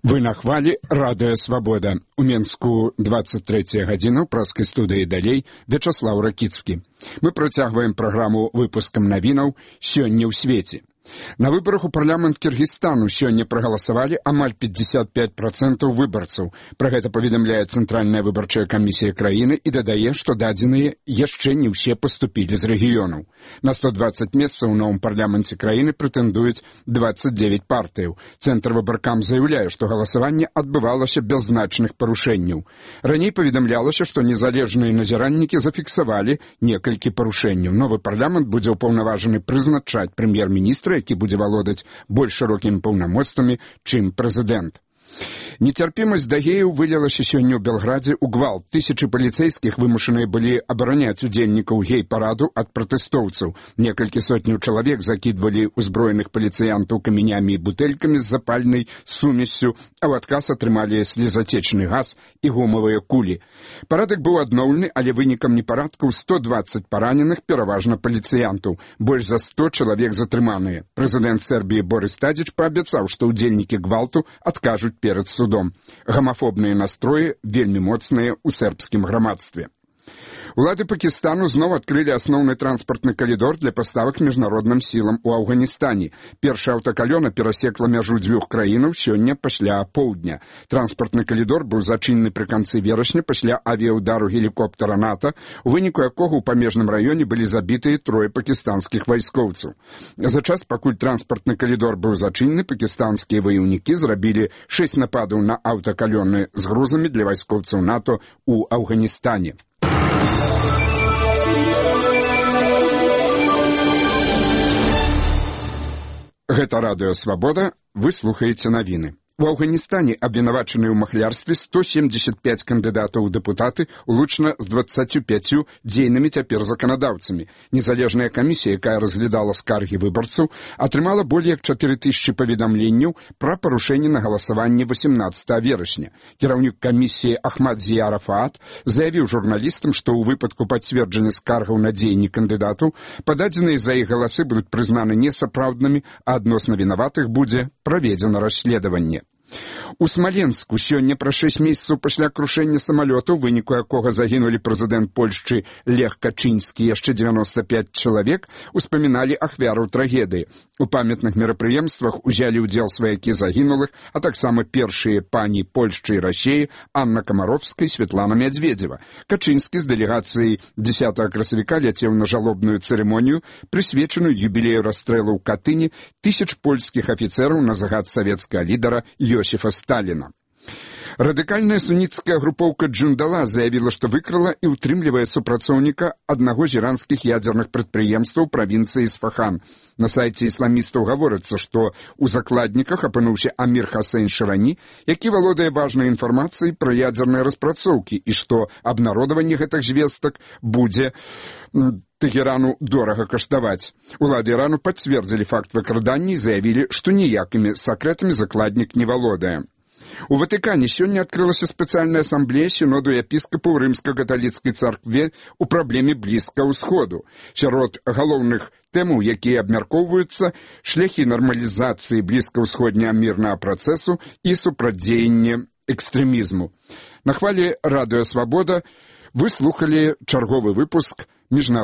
Вы на хвалі радыё Свабода. У Менску 23 гадзіна, ў праскай студыі далей Вячаслаў Ракіцкі. Мы працягваем праграму выпускам навінаў «Сёння ў свеце». На выбарах у парламент Кіргізстану сёння прагаласавалі амаль 55% выбарцаў. Пра гэта паведамляе Цэнтральная выбарчая камісія краіны і дадае, што дадзеныя яшчэ не ўсе паступілі з рэгіёнаў. На 120 месцаў у новым парламенце краіны прэтэндуюць 29 партыяў. Цэнтр выбаркам заяўляе, што галасаванне адбывалася без значных парушэнняў. Раней паведамлялася, што незалежныя назіраннікі зафіксавалі некалькі парушэнняў. Новы парламент будзе ўпаўнаважаны прызначаць прэм'ер-міністра, які будзе валодаць больш шырокімі паўнамоцтвамі, чым прэзідэнт. Нецярпімасць да геяў вылілася сёння ў Белградзе ў гвалт. Тысячы паліцэйскіх вымушаныя былі абараняць удзельнікаў гей-параду ад пратэстоўцаў. Некалькі сотняў чалавек закідвалі ўзброеных паліцыянтаў камянямі і бутэлькамі з запальнай сумессю, а ў адказ атрымалі слезацечны газ і гумавыя кулі. Парадак быў адноўлены, але вынікам непарадкаў 120 параненых, пераважна паліцыянтаў. Больш за 100 чалавек затрыманыя. Прэзідэнт Сербіі Борис Тадзіч паабяцаў, што ўдзельнікі гвалту адкажуць перад судом. Гамафобныя настроі вельмі моцныя ў сербскім грамадстве. Улады Пакістану зноў адкрылі асноўны транспартны калідор для паставак міжнародным сілам у Афганістане. Першая аўтакалёна перасекла мяжу дзвюх краінаў сёння пасля апоўдня. Транспартны калідор быў зачынены пры канцы верасня пасля авіяўдару гелікоптера НАТО, у выніку якога ў памежным раёне былі забітыя 3 пакістанскіх вайскоўцаў. За час, пакуль транспартны калідор быў зачынены, пакістанскія ваяўнікі зрабілі 6 нападаў на аўтакалёны з грузамі для вайскоўцаў НАТО ў Афганістане. Гэта радыё Свабода, вы слухаеце навіны. У Афганістане абвінавачаныя ў махлярстве 175 кандыдатаў у дэпутаты, улучна з 25 дзейнымі цяпер заканадаўцамі. Незалежная камісія, якая разглядала скаргі выбарцаў, атрымала болей як 4000 паведамленняў пра парушэнні на галасаванні 18 верасня. Кіраўнік камісіі Ахмад Зія Рафаат заявіў журналістам, што ў выпадку пацверджання скаргаў на дзеянні кандыдатаў пададзеныя за іх галасы будуць прызнаны несапраўднымі, а адносна вінаватых будзе праведзена расследаванне. У Смаленску сёння пра 6 месяцаў пасля крушэння самалёта, у выніку якога загінулі прэзідэнт Польшчы Лех Качынскі і яшчэ 95 чалавек, успаміналі ахвяраў трагедыі. У памятных мерапрыемствах узялі ўдзел сваякі загінулых, а таксама першыя пані Польшчы і Расіі Анна Камаровская і Светлана Мядзведзева. Качынскі з дэлегацыяй 10 красавіка ляцеў на жалобную цырымонію, прысвечаную юбілею расстрэлу ў Катыні тысяч польскіх афіцэраў на загад савецкага лідара Йосіфа Сталіна. Радыкальная суніцкая групоўка Джундала заявіла, што выкрала і ўтрымлівае супрацоўніка аднаго з іранскіх ядзерных прадпрыемстваў правінцыі Ісфахан. На сайце ісламістаў гаворыцца, што ў закладніках апынуўся Амір Хасейн Шырані, які валодае важнай інфармацыяй пра ядзерныя распрацоўкі, і што абнародаванне гэтых звестак будзе Тэхерану дорага каштаваць. Улады Ірану пацвердзілі факт выкрадання і заявілі, што ніякімі сакрэтамі закладнік не валодае. У Ватыкане сёння адкрылася спецыяльная асамблея сіноду епіскапаў рымска-каталіцкай царкве ў праблеме Блізкага ўсходу. Сярод галоўных тэмаў, якія абмяркоўваюцца, шляхі нармалізацыі блізкаўсходняга мірнага працэсу і супрацьдзеянне экстрэмізму. На хвалі радыё Свабода вы слухалі чарговы выпуск міжнароднага